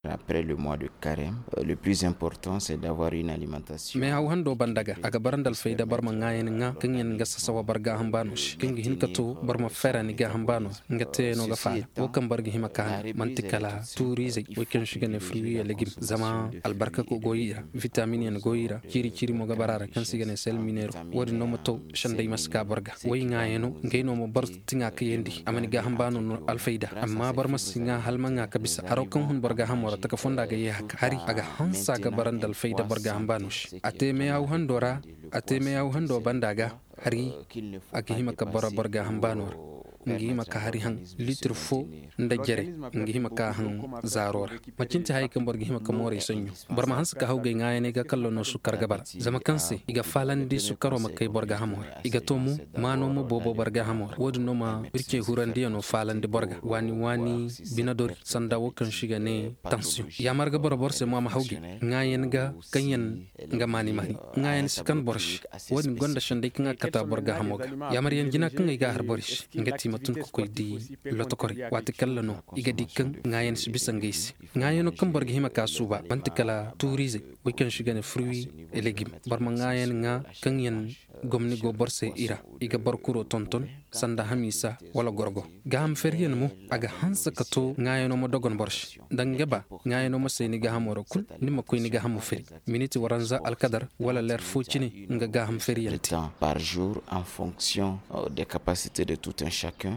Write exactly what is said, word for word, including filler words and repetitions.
Après le mois de carême, euh, le plus important, c'est d'avoir une alimentation. Mais haw hando banda ga a ga bara nda alfayda boro ma ŋaayan ŋa kaŋ yaŋ ga sasawa boro gaaham baano se kaŋ ga hin ka to boro ma fayra ni gaaham baano ra nga teeyano ga faala wo kaŋ boro ga hima ka haŋ manti kala tuuriizey wo kaŋ se i ga ne fruits et légumes zama albarka go i ra, vitamin yaŋ go i ra, ciiri ciiri mo ga bara a ra kaŋ se i ga ne sel mineero. Wo- din no ma to sanday ma si ka boro ga wo i ŋaayano ngey no ma boro tiŋa kayandi a ma ni gaaham baano no alfayda. Amma boro ma si ŋa hala ma ŋa ka bisa haro kaŋ hun boro gaahamo ra taka fonda ga ye haka hari a ga hansa ga bara nda alfayda boro gaaham baano se a te meyaw hando ra. A te meyaw hando banda ga hari a ga hima ka bara boro gaaham baano ra nga hima ka hari haŋ litir fo nda jare nga hima ka haŋ zaaro ra. Macin ti hayey kaŋ boro ga hima ka mooray sonɲo boro ma hanse ka hawgay ŋaayaney ga kallo no sukkar ga bara zama kaŋ se i ga faalandi sukkaro ma kay boro gaahamo ra i ga to mo maano ma boobo boro gaahamo ra wo- din no ma bircey hurandiyano faalandi boro ga waani waani bine dori sanda wo kaŋ se i ga ne tansiyoŋ. Yaamar ga boro boro se mo a ma hawgay ŋaayan ga kaŋ yaŋ nga maani maani ŋaayan si kan boro se. Wo- din gonda sanday kaŋ a ga kata boro gaahamo ga yaamar yaŋ jina kaŋ ay ga a har borey se nga ti ma tun ka koy di lotokorey waati kalla no i ga di kaŋ ŋaayan si bisa ngey se. Ŋaayano kaŋ boro ga hima ka suuba manti kala tuuriizey wey kaŋ se i ga ne fruits et légumes boro ma ŋaayan ŋa kaŋ yaŋ gomni go boro se i ra i ga boro kuro tonton sanda hamiisa wala gorgo. Gaaham feeriyaŋ mo a ga hanse ka to ŋaayano ma dogon boro se nda nga ba ŋaayano ma say ni gaahamo ra kulu ni ma koy ni gaahamo feeri miniti waranza alkadar wala leer fo cine nga gaaham feeriyaŋ te. Par jour en fonction des capacités de tout un chacun.